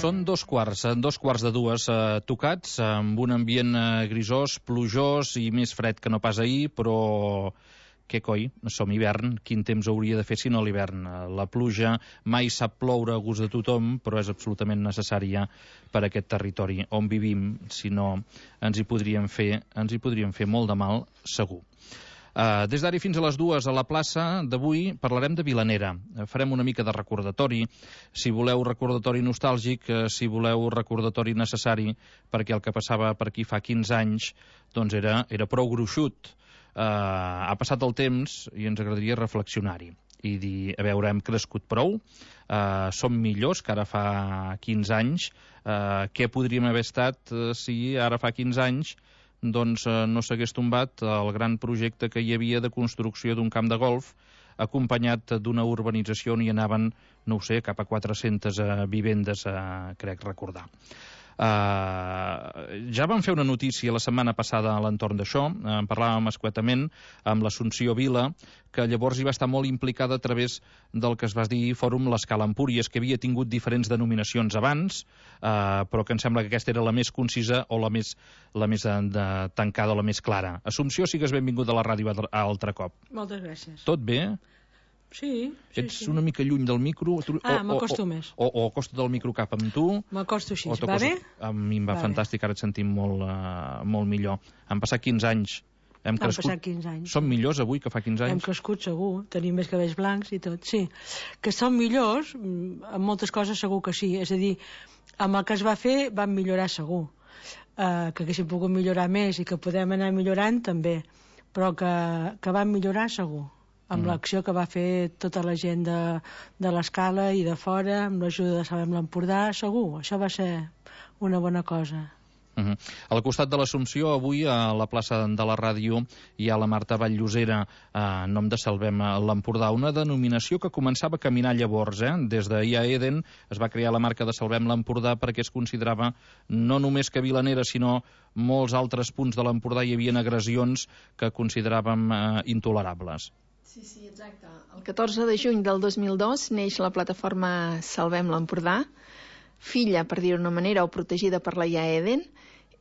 Són dos quarts de dues tocats, amb un ambient grisós, plujós i més fred que no pas ahir, però què coi, som hivern, quin temps hauria de fer si no l'hivern? La pluja mai sap ploure a gust de tothom, però és absolutament necessària per a aquest territori on vivim, si no ens hi podríem fer molt de mal, segur. Des d'ara fins a les 2 a la plaça d'avui parlarem de Vilanera. Farem una mica de recordatori, si voleu recordatori nostàlgic, si voleu recordatori necessari, perquè el que passava per aquí fa 15 anys doncs era prou gruixut. Ha passat el temps i ens agradaria reflexionar-hi i dir, a veure, hem crescut prou, som millors que ara fa 15 anys, què podríem haver estat si ara fa 15 anys doncs no s'hagués tombat el gran projecte que hi havia de construcció d'un camp de golf acompanyat d'una urbanització on hi anaven, no ho sé, cap a 400 vivendes, crec recordar. Ja vam fer una notícia la setmana passada a l'entorn d'això, en parlàvem escuetament amb l'Assumpció Vila, que llavors hi va estar molt implicada a través del que es va dir Fòrum l'Escala Empúries, que havia tingut diferents denominacions abans, però que em sembla que aquesta era la més concisa o la més tancada o la més clara. Assumpció, sigues benvingut a la ràdio altre cop. Moltes gràcies. Tot bé? Sí. Ets una mica lluny del micro? M'acosto més. O acosta't del micro cap amb tu? M'acosto així, va bé? A mi em va fantàstic, ara et sentim molt millor. Han passat 15 anys. Han passat 15 anys. Som millors avui que fa 15 anys? Hem crescut segur, tenim més cabells blancs i tot, sí. Que som millors, en moltes coses segur que sí. És a dir, amb el que es va fer vam millorar segur. Que haguéssim pogut millorar més i que podem anar millorant també, però que vam millorar segur. Amb l'acció que va fer tota la gent de l'Escala i de fora, amb l'ajuda de Salvem l'Empordà, segur, això va ser una bona cosa. Al costat de l'Assumpció, avui a la plaça de la ràdio hi ha la Marta Vall-llosera en nom de Salvem l'Empordà, una denominació que començava a caminar llavors. Des d'IA Eden es va crear la marca de Salvem l'Empordà perquè es considerava no només que a Vilanera, sinó molts altres punts de l'Empordà hi havia agressions que consideràvem intolerables. Sí, exacte. El 14 de juny del 2002 neix la plataforma Salvem l'Empordà, filla, per dir-ho d'una manera, o protegida per la IA Eden,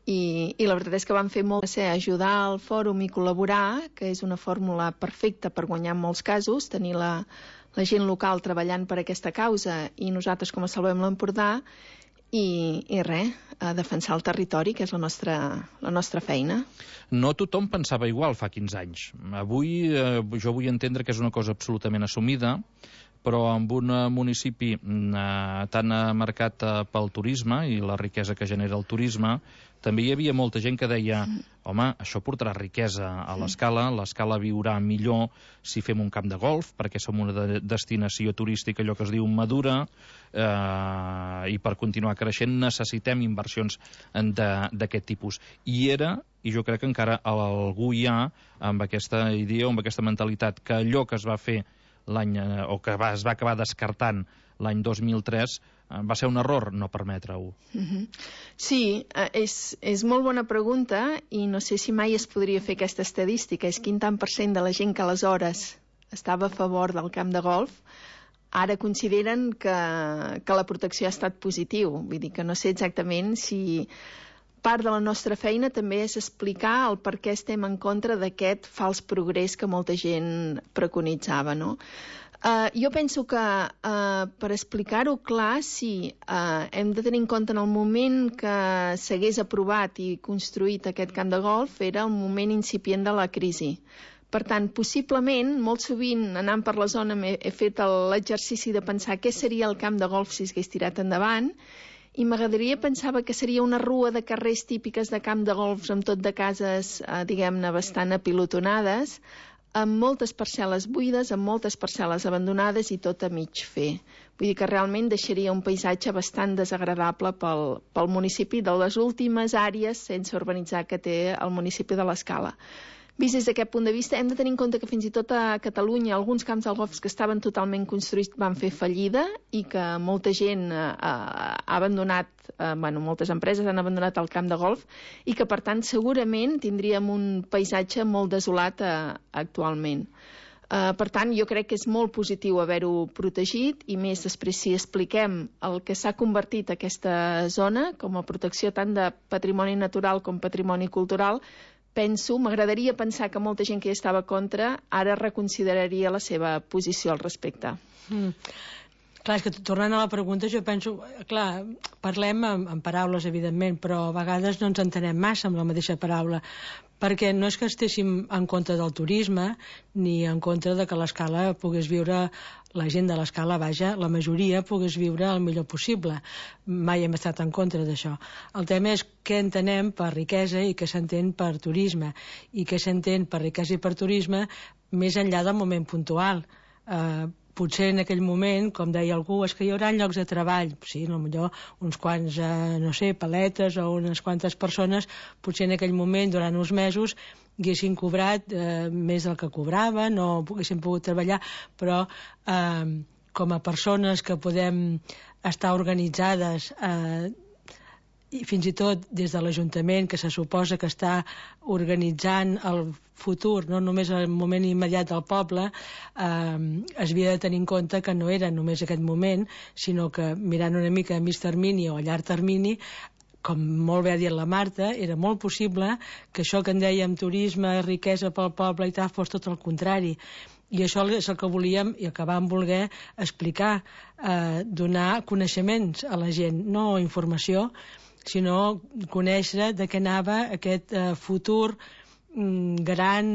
i la veritat és que van fer molt a ajudar al fòrum i col·laborar, que és una fórmula perfecta per guanyar en molts casos, tenir la gent local treballant per aquesta causa i nosaltres com a Salvem l'Empordà, i res, a defensar el territori, que és la nostra feina. No tothom pensava igual fa 15 anys. Avui jo vull entendre que és una cosa absolutament assumida, però en un municipi tan marcat pel turisme i la riquesa que genera el turisme, també hi havia molta gent que deia home, això portarà riquesa a l'Escala viurà millor si fem un camp de golf, perquè som una destinació turística, allò que es diu madura, i per continuar creixent necessitem inversions d'aquest tipus. I jo crec que encara algú hi ha amb aquesta idea o amb aquesta mentalitat que allò que es va fer o que es va acabar descartant l'any 2003 va ser un error no permetre-ho. Sí, és molt bona pregunta i no sé si mai es podria fer aquesta estadística. És quin tant % de la gent que aleshores estava a favor del camp de golf ara consideren que la protecció ha estat positiu. Vull dir que no sé exactament si part de la nostra feina també és explicar el per què estem en contra d'aquest fals progrés que molta gent preconitzava, no? Jo penso que per explicar-ho clar, sí, hem de tenir en compte en el moment que s'hagués aprovat i construït aquest camp de golf era el moment incipient de la crisi. Per tant, possiblement, molt sovint anant per la zona he fet l'exercici de pensar què seria el camp de golf si s'hagués tirat endavant, i m'agradaria pensava que seria una rua de carrers típiques de camp de golfs amb tot de cases, diguem-ne, bastant apilotonades, amb moltes parcel·les buides, amb moltes parcel·les abandonades i tot a mig fer. Vull dir que realment deixaria un paisatge bastant desagradable pel municipi, de les últimes àrees sense urbanitzar que té el municipi de l'Escala. Vist des d'aquest punt de vista, hem de tenir en compte que fins i tot a Catalunya alguns camps de golf que estaven totalment construïts van fer fallida i que molta gent ha abandonat, moltes empreses han abandonat el camp de golf i que, per tant, segurament tindríem un paisatge molt desolat actualment. Per tant, jo crec que és molt positiu haver-ho protegit, i més després si expliquem el que s'ha convertit aquesta zona com a protecció tant de patrimoni natural com patrimoni cultural. M'agradaria pensar que molta gent que hi estava contra ara reconsideraria la seva posició al respecte. Clar, és que tornant a la pregunta, jo penso, clar, parlem en paraules, evidentment, però a vegades no ens entenem massa amb la mateixa paraula, perquè no és que estéssim en contra del turisme ni en contra de que l'Escala pogués viure, la gent de l'Escala, vaja, la majoria pogués viure el millor possible. Mai hem estat en contra d'això. El tema és què entenem per riquesa i què s'entén per turisme, i què s'entén per riquesa i per turisme més enllà del moment puntual. Potser en aquell moment, com deia algú, és que hi haurà llocs de treball. Sí, potser uns quants, no sé, paletes o unes quantes persones, potser en aquell moment, durant uns mesos, haguessin cobrat més del que cobraven o haguessin pogut treballar, però com a persones que podem estar organitzades i fins i tot des de l'Ajuntament, que se suposa que està organitzant el futur, no només el moment immediat del poble, es havia de tenir en compte que no era només aquest moment, sinó que mirant una mica a mig termini o a llarg termini, com molt bé ha dit la Marta, era molt possible que això que en dèiem turisme, riquesa pel poble i tal, fos tot el contrari. I això és el que volíem i el que vam voler explicar, donar coneixements a la gent, no informació, sinó conèixer de què anava aquest futur gran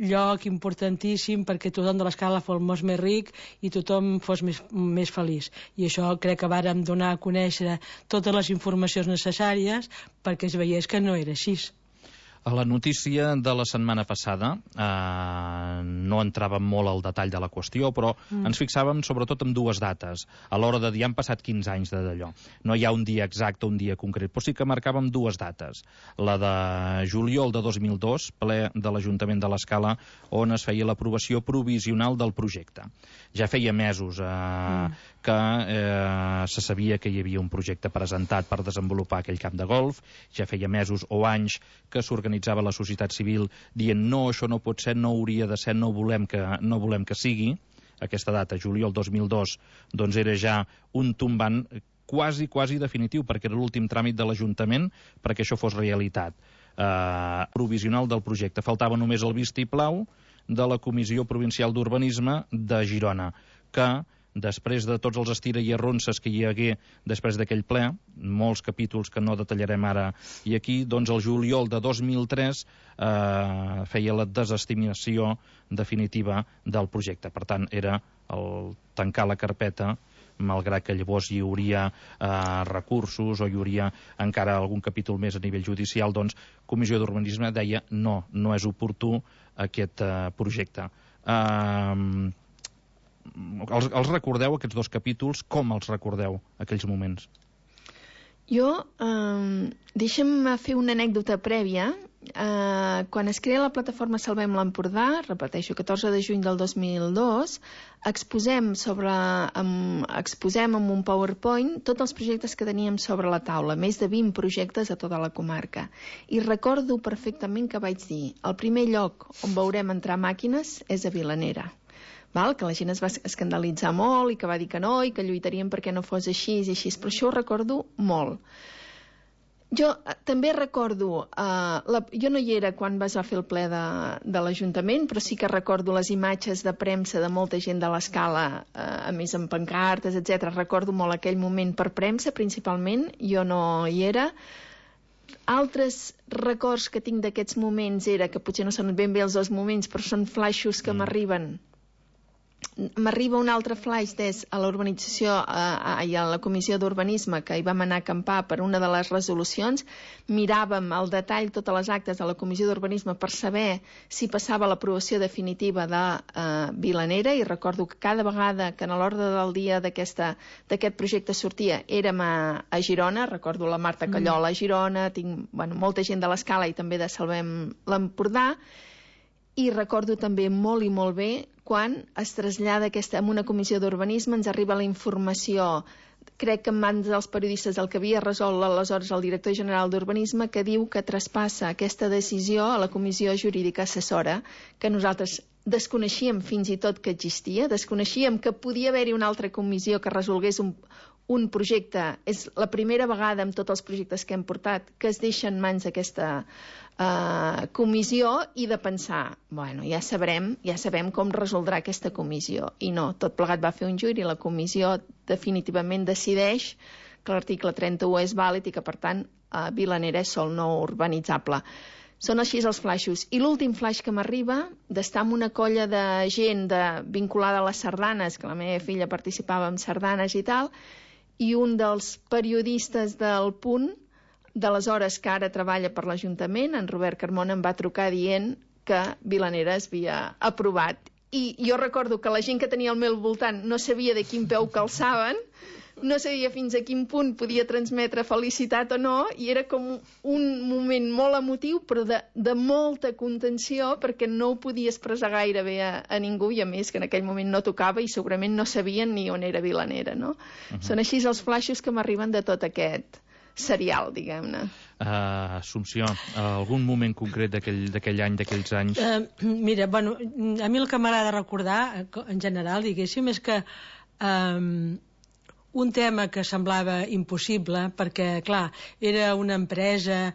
lloc importantíssim perquè tothom de l'Escala fos més ric i tothom fos més feliç. I això crec que vàrem donar a conèixer totes les informacions necessàries perquè es veiés que no era així. A la notícia de la setmana passada no entràvem molt al detall de la qüestió, però ens fixàvem sobretot en dues dates, a l'hora de dir han passat 15 anys d'allò. No hi ha un dia exacte, un dia concret, però sí que marcàvem dues dates. La de juliol de 2002, ple de l'Ajuntament de l'Escala, on es feia l'aprovació provisional del projecte. Ja feia mesos que se sabia que hi havia un projecte presentat per desenvolupar aquell camp de golf, ja feia mesos o anys que s'organitzava la societat civil dient no, això no pot ser, no hauria de ser, no volem que sigui. Aquesta data, juliol 2002, doncs era ja un tombant quasi definitiu, perquè era l'últim tràmit de l'Ajuntament perquè això fos realitat. Provisional del projecte. Faltava només el vistiplau de la Comissió Provincial d'Urbanisme de Girona, que després de tots els estira i arronses que hi hagué després d'aquell ple, molts capítols que no detallarem ara i aquí, doncs el juliol de 2003 feia la desestimació definitiva del projecte. Per tant, era el tancar la carpeta, malgrat que llavors hi hauria recursos o hi hauria encara algun capítol més a nivell judicial, doncs Comissió d'Urbanisme deia no és oportú aquest projecte. Els recordeu, aquests dos capítols? Com els recordeu, aquells moments? Jo, deixa'm fer una anècdota prèvia. Quan es crea la plataforma Salvem l'Empordà, repeteixo, 14 de juny del 2002, exposem amb un PowerPoint tots els projectes que teníem sobre la taula, més de 20 projectes a tota la comarca. I recordo perfectament que vaig dir, el primer lloc on veurem entrar màquines és a Vilanera. Que la gent es va escandalitzar molt i que va dir que no i que lluitarien perquè no fos així i així, però això ho recordo molt. Jo també recordo, jo no hi era quan es va fer el ple de l'Ajuntament, però sí que recordo les imatges de premsa de molta gent de l'Escala, a més amb pancartes, etc. Recordo molt aquell moment per premsa, principalment, jo no hi era. Altres records que tinc d'aquests moments era, que potser no són ben bé els dos moments, però són flaixos que m'arriben. M'arriba un altre flaix a la urbanització i a la Comissió d'Urbanisme, que hi vam anar a acampar per una de les resolucions. Miràvem al detall totes les actes de la Comissió d'Urbanisme per saber si passava l'aprovació definitiva de Vilanera, i recordo que cada vegada que a l'ordre del dia d'aquest projecte sortia érem a Girona. Recordo la Marta Callola a Girona, tinc molta gent de l'Escala i també de Salvem l'Empordà. I recordo també molt i molt bé quan es trasllada en una comissió d'urbanisme, ens arriba la informació crec que en mans dels periodistes el que havia resolt aleshores el director general d'Urbanisme, que diu que traspassa aquesta decisió a la Comissió Jurídica Assessora, que nosaltres desconeixíem fins i tot que existia, desconeixíem que podia haver-hi una altra comissió que resolgués un projecte. És la primera vegada amb tots els projectes que hem portat que es deixa en mans d'aquesta comissió i de pensar, bueno, ja sabem com resoldrà aquesta comissió. I no, tot plegat va fer un jury i la comissió definitivament decideix que l'article 31 és vàlid i que, per tant, Vilanera és sòl no urbanitzable. Són així els flaixos. I l'últim flaix que m'arriba, d'estar amb una colla de gent vinculada a les sardanes, que la meva filla participava en sardanes i tal, i un dels periodistes del Punt, d'aleshores que ara treballa per l'Ajuntament, en Robert Carmona, em va trucar dient que Vilanera es havia aprovat. I jo recordo que la gent que tenia al meu voltant no sabia de quin peu calçaven, no sabia fins a quin punt podia transmetre felicitat o no, i era com un moment molt emotiu, però de molta contenció, perquè no ho podia expressar gaire bé a ningú, i a més que en aquell moment no tocava i segurament no sabien ni on era Vilanera, no? Són així els flaixos que m'arriben de tot aquest serial, diguem-ne. Assumpció, algun moment concret d'aquell any, d'aquells anys? Mira, bueno, a mi el que m'agrada recordar, en general, diguéssim, és que un tema que semblava impossible, perquè, clar, era una empresa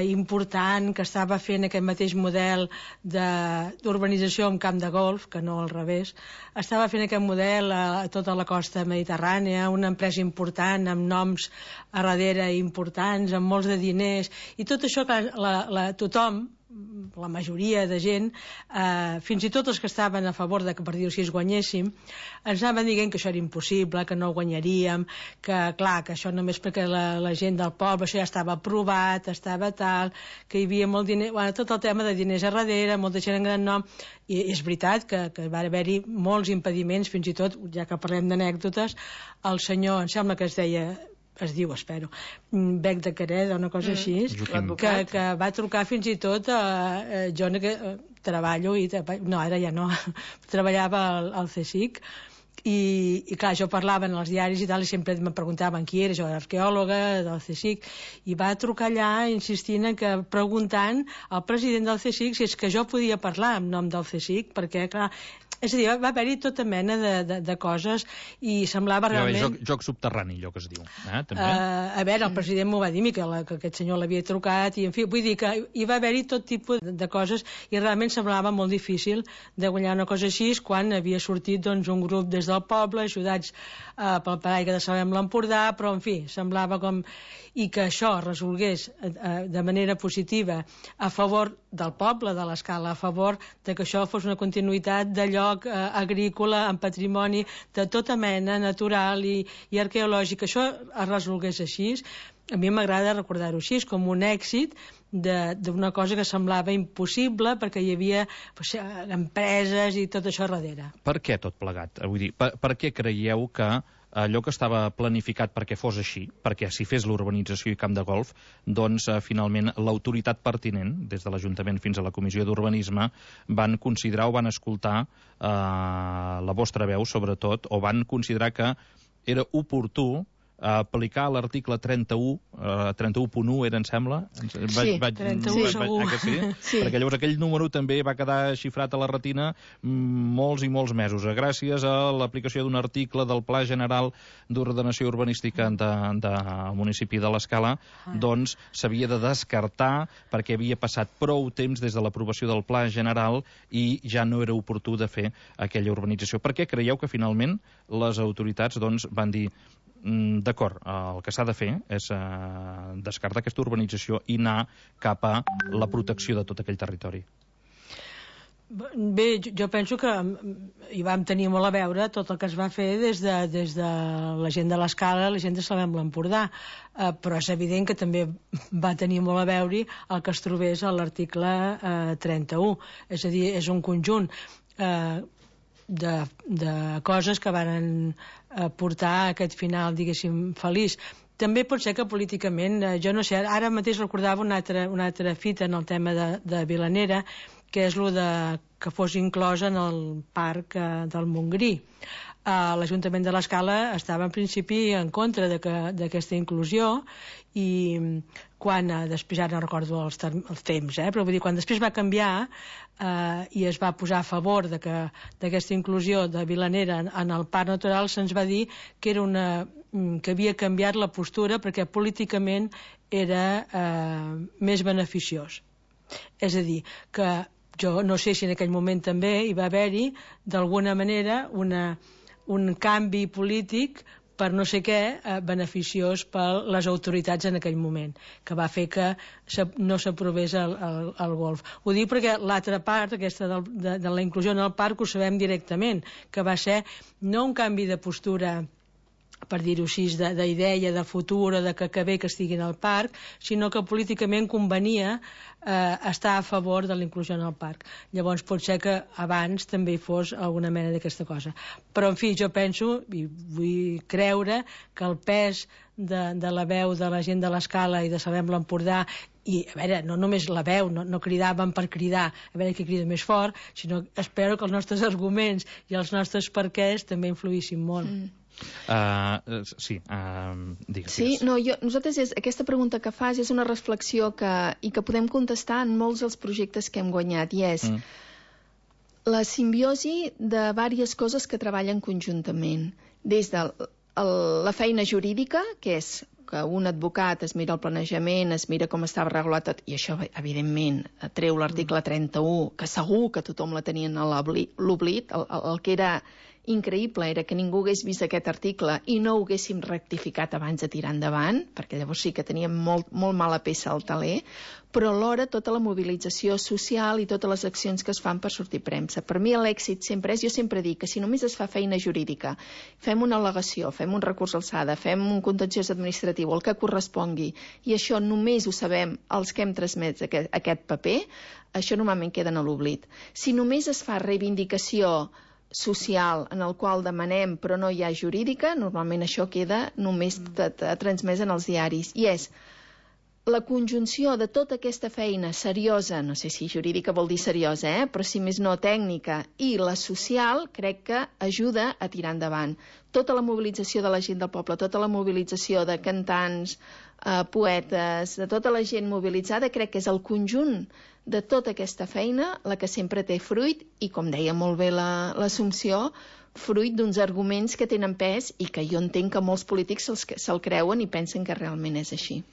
important que estava fent aquest mateix model d'urbanització en camp de golf, que no al revés, estava fent aquest model a tota la costa mediterrània, una empresa important, amb noms a darrere importants, amb molts de diners, i tot això que tothom, la majoria de gent, fins i tot els que estaven a favor de que, per dir-ho així, guanyéssim, ens anaven dient que això era impossible, que no ho guanyaríem, que clar, que això només perquè la gent del poble, això ja estava aprovat, estava tal, que hi havia molt diner, bueno, tot el tema de diners a darrere, molta gent en gran nom, i és veritat que va haver-hi molts impediments, fins i tot, ja que parlem d'anècdotes, el senyor, em sembla que es diu, espero, Bec de Quereda, una cosa així, que va trucar fins i tot jo treballo, no, ara ja no, treballava al CSIC, i clar, jo parlava en els diaris i tal, i sempre me preguntaven qui era, jo era arqueòloga del CSIC, i va trucar allà insistint preguntant al president del CSIC si és que jo podia parlar en nom del CSIC, perquè clar, és a dir, va haver-hi tota mena de coses i semblava realment... Joc subterrani, allò que es diu. També? A veure, el president m'ho va dir, que aquest senyor l'havia trucat, i en fi, vull dir que hi va haver-hi tot tipus de coses i realment semblava molt difícil de guanyar una cosa així quan havia sortit doncs, un grup des del poble, ajudats pel paraigua de Salem l'Empordà, però en fi, semblava com... I que això resolgués de manera positiva a favor del poble, de l'Escala, a favor de que això fos una continuïtat de lloc agrícola, en patrimoni de tota mena, natural i arqueològic, que això es resolgués així, a mi m'agrada recordar-ho així, com un èxit d'una cosa que semblava impossible perquè hi havia empreses i tot això darrere. Per què tot plegat? Vull dir, per què creieu que allò que estava planificat perquè fos així, perquè s'hi fes l'urbanització i camp de golf, doncs finalment l'autoritat pertinent, des de l'Ajuntament fins a la Comissió d'Urbanisme, van considerar o van escoltar la vostra veu, sobretot, o van considerar que era oportú aplicar l'article 31, 31.1 era, em sembla? Sí, 31 segur. Sí. Perquè llavors aquell número també va quedar xifrat a la retina molts i molts mesos. Gràcies a l'aplicació d'un article del Pla General d'Ordenació Urbanística del municipi de l'Escala, doncs s'havia de descartar perquè havia passat prou temps des de l'aprovació del Pla General i ja no era oportú de fer aquella urbanització. Per què creieu que finalment les autoritats doncs, van dir d'acord, el que s'ha de fer és descartar aquesta urbanització i anar cap a la protecció de tot aquell territori? Bé, jo penso que hi vam tenir molt a veure tot el que es va fer des de la gent de l'Escala, la gent de Salem l'Empordà, però és evident que també va tenir molt a veure el que es trobés a l'article 31, és a dir, és un conjunt de coses que van portar a aquest final, diguéssim, feliç. També pot ser que políticament, jo no sé, ara mateix recordava una altra fita en el tema de Vilanera, que és el que fos inclòs en el parc del Montgrí. l'Ajuntament de l'Escala estava en principi en contra d'aquesta inclusió, i quan, després ja no recordo els temps, però vull dir, quan després va canviar i es va posar a favor d'aquesta inclusió de Vilanera en el Parc Natural, se'ns va dir que havia canviat la postura perquè políticament era més beneficiós. És a dir, que jo no sé si en aquell moment també hi va haver-hi d'alguna manera un canvi polític per no sé què, beneficiós per les autoritats en aquell moment, que va fer que no s'aprovés el golf. Ho dic perquè l'altra part, aquesta de la inclusió en el parc, ho sabem directament, que va ser no un canvi de postura, per dir-ho així, d'idea, de futur, o de que bé que estiguin al parc, sinó que políticament convenia estar a favor de la inclusió en el parc. Llavors pot ser que abans també hi fos alguna mena d'aquesta cosa. Però, en fi, jo penso, i vull creure, que el pes de la veu de la gent de l'Escala i de Salem l'Empordà, i a veure, no només la veu, no cridaven per cridar, a veure qui crida més fort, sinó espero que els nostres arguments i els nostres perquès també influïssin molt. Digues. Sí, no, nosaltres aquesta pregunta que fas és una reflexió i que podem contestar en molts dels projectes que hem guanyat, i és la simbiosi de diverses coses que treballen conjuntament, des de la feina jurídica, que és que un advocat es mira el planejament, es mira com estava regulat tot, i això, evidentment, treu l'article 31, que segur que tothom la tenien a l'oblit. El que era increïble era que ningú hagués vist aquest article i no ho haguéssim rectificat abans de tirar endavant, perquè llavors sí que teníem molt mala peça al taler, però alhora tota la mobilització social i totes les accions que es fan per sortir premsa. Per mi l'èxit sempre és, jo sempre dic que si només es fa feina jurídica, fem una al·legació, fem un recurs d'alçada, fem un contenciós administratiu, el que correspongui, i això només ho sabem els que hem transmès aquest paper, això normalment queda a l'oblit. Si només es fa reivindicació social en el qual demanem però no hi ha jurídica, normalment això queda només transmès en els diaris, i és la conjunció de tota aquesta feina seriosa, no sé si jurídica vol dir seriosa, però si més no tècnica, i la social, crec que ajuda a tirar endavant. Tota la mobilització de la gent del poble, tota la mobilització de cantants, poetes, de tota la gent mobilitzada, crec que és el conjunt de tota aquesta feina la que sempre té fruit, i com deia molt bé l'Assumpció, fruit d'uns arguments que tenen pes i que jo entenc que molts polítics se'l creuen i pensen que realment és així.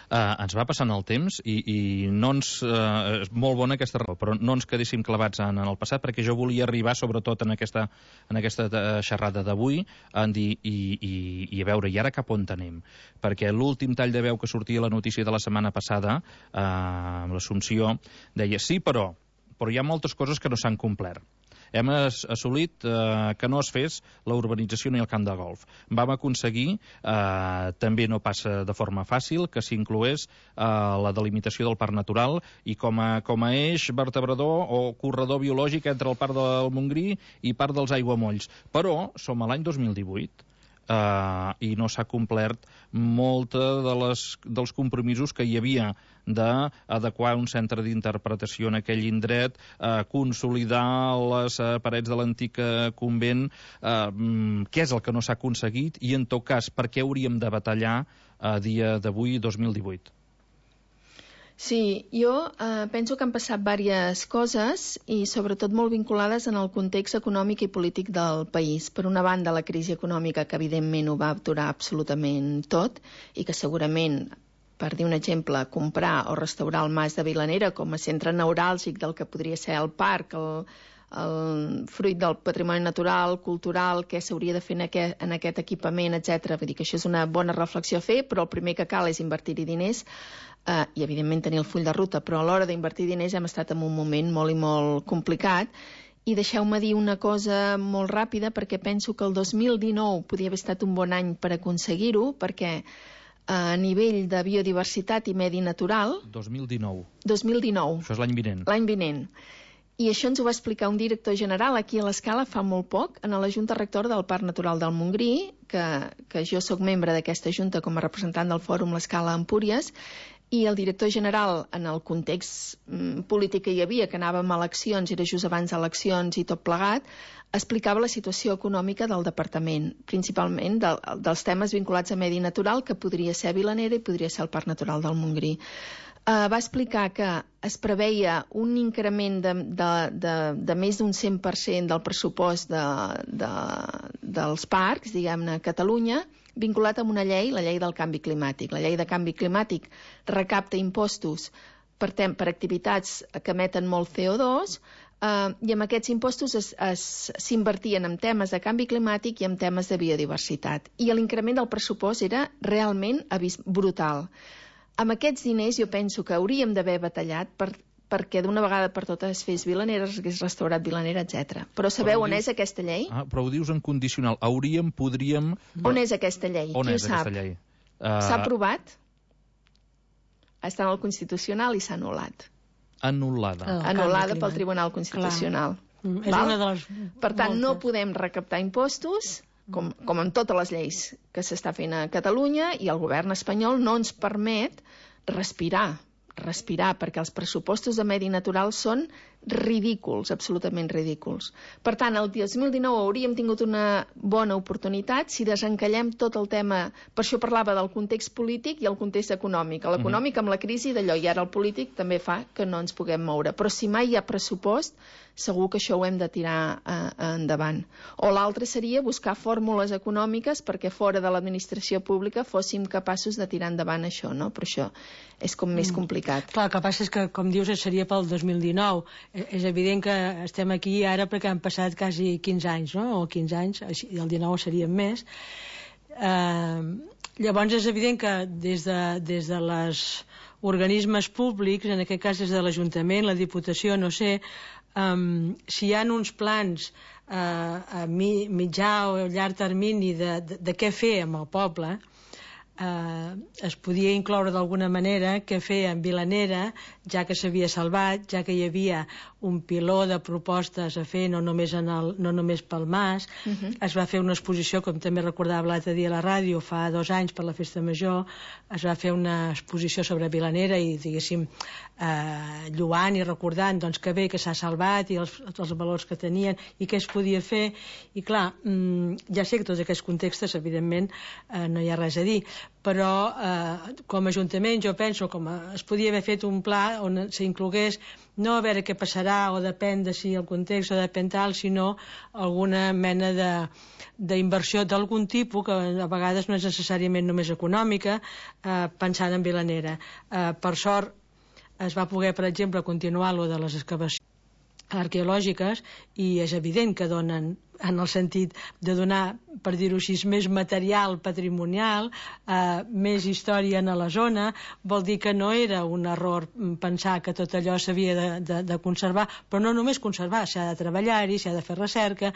Ens va passant el temps i no ens... és molt bona aquesta raó, però no ens quedéssim clavats en el passat, perquè jo volia arribar, sobretot en aquesta xerrada d'avui, a dir, i a veure, i ara cap on anem? Perquè l'últim tall de veu que sortia a la notícia de la setmana passada, amb l'Assumpció, deia, sí, però hi ha moltes coses que no s'han complert. Hem assolit que no es fes la urbanització ni el camp de golf. Vam aconseguir, també no passa de forma fàcil, que s'incloés la delimitació del parc natural i com a eix vertebrador o corredor biològic entre el parc del Montgrí i parc dels Aiguamolls. Però som a l'any 2018 i no s'ha complert molt dels compromisos que hi havia d'adequar un centre d'interpretació en aquell indret, consolidar les parets de l'antic convent. Què és el que no s'ha aconseguit i, en tot cas, per què hauríem de batallar a dia d'avui, 2018? Sí, jo penso que han passat diverses coses i sobretot molt vinculades en el context econòmic i polític del país. Per una banda, la crisi econòmica, que evidentment ho va aturar absolutament tot i que segurament, per dir un exemple, comprar o restaurar el Mas de Vilanera com a centre neuràlgic del que podria ser el parc, el fruit del patrimoni natural, cultural, què s'hauria de fer en aquest equipament, etc. Vull dir que això és una bona reflexió a fer, però el primer que cal és invertir-hi diners i, evidentment, tenir el full de ruta. Però a l'hora d'invertir diners hem estat en un moment molt i molt complicat. I deixeu-me dir una cosa molt ràpida, perquè penso que el 2019 podia haver estat un bon any per aconseguir-ho, perquè a nivell de biodiversitat i medi natural... 2019. Això és l'any vinent. L'any vinent. I això ens ho va explicar un director general aquí a l'Escala fa molt poc, en la Junta Rectora del Parc Natural del Montgrí, que jo sóc membre d'aquesta junta com a representant del Fòrum l'Escala Empúries, i el director general, en el context polític que hi havia, que anàvem a eleccions, era just abans d'eleccions i tot plegat, explicava la situació econòmica del departament, principalment dels temes vinculats a medi natural, que podria ser Vilanera i podria ser el Parc Natural del Montgrí. Va explicar que es preveia un increment de més d'un 100% del pressupost dels parcs, diguem-ne, a Catalunya, vinculat amb una llei, la llei del canvi climàtic. La llei de canvi climàtic recapta impostos per activitats que emeten molt CO2 i amb aquests impostos s'invertien en temes de canvi climàtic i en temes de biodiversitat. I l'increment del pressupost era realment brutal. Amb aquests diners jo penso que hauríem d'haver batallat perquè d'una vegada per totes es fes Vilanera, es hagués restaurat Vilanera, etc. Però sabeu on és aquesta llei? Però ho dius en condicional. Hauríem, podríem... On és aquesta llei? On és aquesta llei? S'ha aprovat? Està en el Constitucional i s'ha anul·lat. Anul·lada. Anul·lada pel Tribunal Constitucional. És una de les... Per tant, no podem recaptar impostos, com en totes les lleis que s'està fent a Catalunya, i el govern espanyol no ens permet respirar, perquè els pressupostos de medi natural són ridículs, absolutament ridículs. Per tant, el 2019 hauríem tingut una bona oportunitat si desencallem tot el tema. Per això parlava del context polític i el context econòmic. L'econòmic amb la crisi d'allò, i ara el polític també fa que no ens puguem moure. Però si mai hi ha pressupost, segur que això ho hem de tirar endavant. O l'altre seria buscar fórmules econòmiques perquè fora de l'administració pública fóssim capaços de tirar endavant això, no? Però això és com més complicat. Clar, el que passa és que, com dius, seria pel 2019. És evident que estem aquí ara perquè han passat quasi 15 anys, no? O 15 anys, i el 19 serien més. Llavors és evident que des de les organismes públics, en aquest cas des de l'Ajuntament, la Diputació, no sé, si hi ha uns plans a mitjà o llarg termini de què fer amb el poble, es podia incloure d'alguna manera què fer amb Vilanera, ja que s'havia salvat, ja que hi havia un piló de propostes a fer, no només pel Mas. Es va fer una exposició, com també recordava l'altre dia a la ràdio, fa 2 anys per la Festa Major, es va fer una exposició sobre Vilanera i, diguéssim, lloant i recordant doncs, que bé que s'ha salvat i els valors que tenien i què es podia fer. I clar, ja sé que tots aquests contextes, evidentment, no hi ha res a dir, però com a Ajuntament jo penso com es podia haver fet un pla on s'inclogués no a veure què passarà o depèn de si el context o depèn tal, sinó alguna mena d'inversió d'algun tipus que a vegades no és necessàriament només econòmica, pensant en Vilanera. Per sort es va poder, per exemple, continuar lo de les excavacions arqueològiques i és evident que donen, en el sentit de donar, per dir-ho així, més material patrimonial, més història a la zona. Vol dir que no era un error pensar que tot allò s'havia de conservar, però no només conservar, s'ha de treballar-hi, s'ha de fer recerca.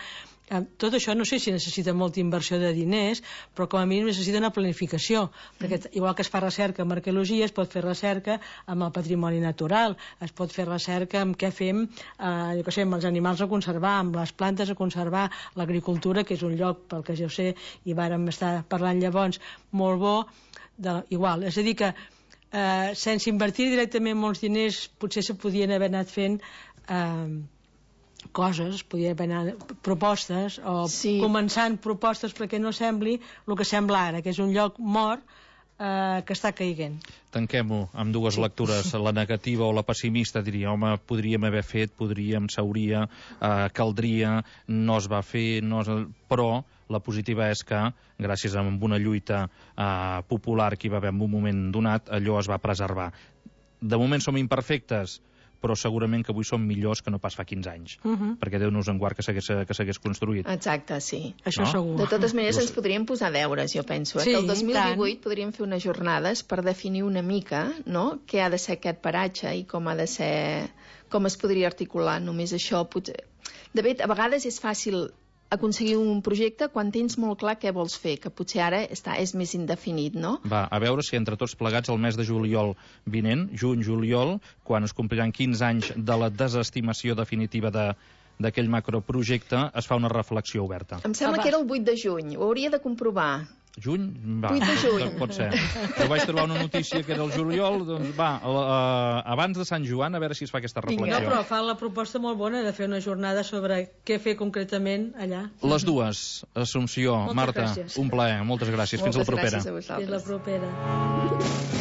Tot això no sé si necessita molta inversió de diners, però com a mínim necessita una planificació, perquè igual que es fa recerca en arqueologia, es pot fer recerca amb el patrimoni natural, es pot fer recerca amb què fem, jo què sé, amb els animals a conservar, amb les plantes a conservar, l'agricultura, que és un lloc, pel que jo sé, i vàrem estar parlant llavors, molt bo, igual. És a dir que sense invertir directament molts diners potser se podien haver anat fent coses, podien haver anat propostes o començant propostes perquè no sembli el que sembla ara, que és un lloc mort que està caiguent. Tanquem-ho amb dues lectures, la negativa o la pessimista, diria, home, podríem haver fet, caldria, no es va fer, però la positiva és que, gràcies a una lluita popular que hi va haver en un moment donat, allò es va preservar. De moment som imperfectes, però segurament que avui som millors que no pas fa 15 anys, perquè Déu nos en guard que s'hagués construït. Exacte, sí. Això segur. De totes maneres ens podríem posar deures, jo penso. Que el 2018 podríem fer unes jornades per definir una mica, no?, què ha de ser aquest paratge i com ha de ser, com es podria articular. Només això potser... De fet, a vegades és fàcil aconseguir un projecte quan tens molt clar què vols fer, que potser ara és més indefinit, no? Va, a veure si entre tots plegats el mes de juliol vinent, juny-juliol, quan es compliran 15 anys de la desestimació definitiva d'aquell macroprojecte, es fa una reflexió oberta. Em sembla que era el 8 de juny, ho hauria de comprovar. Juny? Va, 8 de juny. pot ser. Jo vaig trobar una notícia que era el juliol, doncs va, abans de Sant Joan, a veure si es fa aquesta reflexió. No, però fan la proposta molt bona de fer una jornada sobre què fer concretament allà. Les dues, Assumpció, Moltes Marta, gràcies. un plaer, moltes gràcies. Fins la propera. Gràcies a vosaltres. Fins la propera.